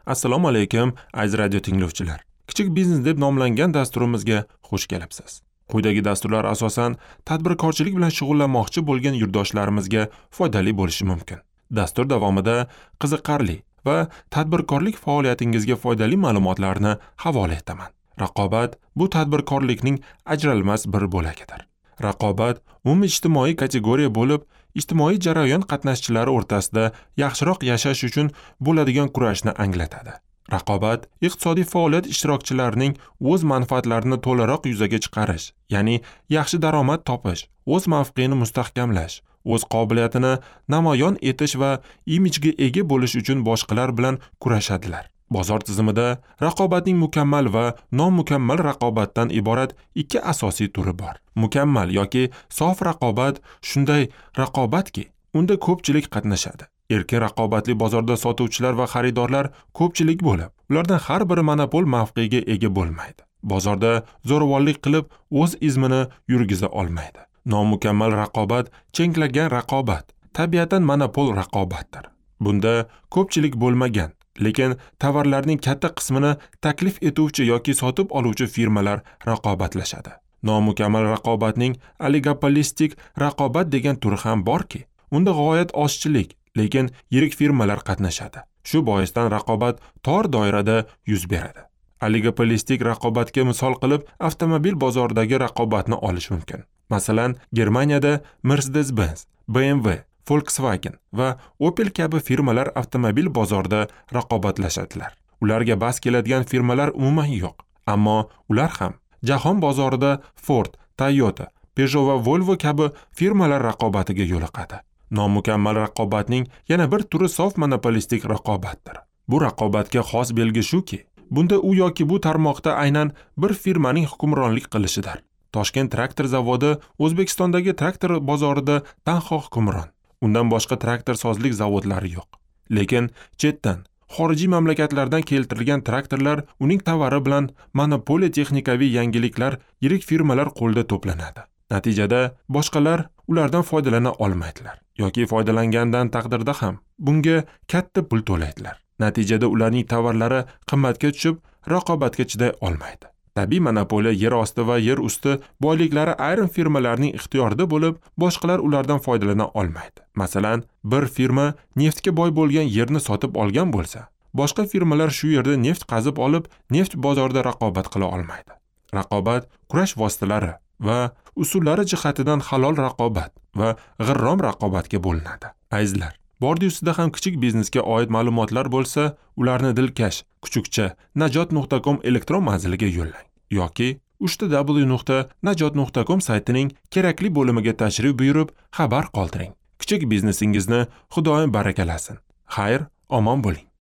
Assalomu alaykum, aziz radio tinglovchilar. Kichik biznes deb nomlangan dasturimizga xush kelibsiz. Quyidagi dasturlar asosan tadbirkorchilik bilan shug'ullanmoqchi bo'lgan yurtdoshlarimizga foydali bo'lishi mumkin. Dastur davomida qiziqarli va tadbirkorlik faoliyatingizga foydali ma'lumotlarni havola etaman. Raqobat bu tadbirkorlikning ajralmas bir bo'lagidir. Raqobat umumiy ijtimoiy kategoriya bo'lib, ijtimoiy jarayon qatnashchilari o'rtasida yaxshiroq yashash uchun bo'ladigan kurashni anglatadi. Raqobat iqtisodiy faoliyat ishtirokchilarining o'z manfaatlarini to'laroq yuzaga chiqarish, ya'ni yaxshi daromad topish, o'z mavqeini mustahkamlash, o'z qobiliyatini namoyon etish va imijga ega bo'lish uchun boshqalar bilan kurashadilar. Bozor tizimida raqobatning mukammal va nomukammal raqobatdan iborat ikki asosiy turi bor. Mukammal yoki sof raqobat shunday raqobatki, unda ko'pchilik qatnashadi. Erkin raqobatli bozorda sotuvchilar va xaridorlar ko'pchilik bo'lib, ulardan har biri monopol mavqeiga ega bo'lmaydi. Bozorda zo'ravonlik qilib o'z izmini yurgiza olmaydi. Nomukammal raqobat cheklangan raqobat, tabiatan monopol raqobatdir. Bunda ko'pchilik bo'lmagan, lekin tovarlarning katta qismini taklif etuvchi yoki sotib oluvchi firmalar raqobatlashadi. Nomukammal raqobatning oligopolistik raqobat degan turi ham borki, unda g'oyat ozchilik, lekin yirik firmalar qatnashadi. Shu boisdan raqobat tor doirada yuz beradi. Oligopolistik raqobatga misol qilib avtomobil bozoridagi raqobatni olish mumkin. Masalan, Germaniyada Mercedes-Benz, BMW, Volkswagen va Opel kabi firmalar avtomobil bozorida raqobatlashadilar. Ularga bas keladigan firmalar umuman yo'q, ammo ular ham jahon bozorida Ford, Toyota, Peugeot va Volvo kabi firmalar raqobatiga yo'liqadi. Nomukammal raqobatning yana bir turi sof monopolistik raqobatdir. Bu raqobatga xos belgi shuki, bunda u yoki bu tarmoqda aynan bir firmaning hukmronlik qilishidir. Toshkent traktor zavodi O'zbekistondagi traktor bozorida tanho hukmron. Undan boshqa traktor sozlik zavodlari yo'q. Lekin chetdan, xorijiy mamlakatlardan keltirilgan traktorlar uning tovari bilan monopoliya texnikaviy yangiliklar yirik firmalar qo'lida to'planadi. Natijada boshqalar ulardan foydalana olmaydilar yoki foydalangandan taqdirda ham bunga katta pul to'laydilar. Natijada ularning tovarlari qimmatga tushib, raqobatga chiday olmaydi. Tabiiy monopoliya yer osti va yer usti boyliklari ayrim firmalarning ixtiyorida bo'lib, boshqalar ulardan foydalana olmaydi. Masalan, bir firma neftga boy bo'lgan yerni sotib olgan bo'lsa, boshqa firmalar shu yerda neft qazib olib, neft bozorida raqobat qila olmaydi. Raqobat kurash vositalari va usullari jihatidan halol raqobat va g'irrom raqobatga bo'linadi. Azizlar, bordi ustida ham kichik biznesga oid ma'lumotlar bo'lsa, ularni dilkash kuchukcha najot.com elektron manziliga yo'llang yoki www.najot.com saytining kerakli bo'limiga tashrif buyurib, xabar qoldiring. Kichik biznesingizni Xudoyim barakalasin. Xayr, omon bo'ling.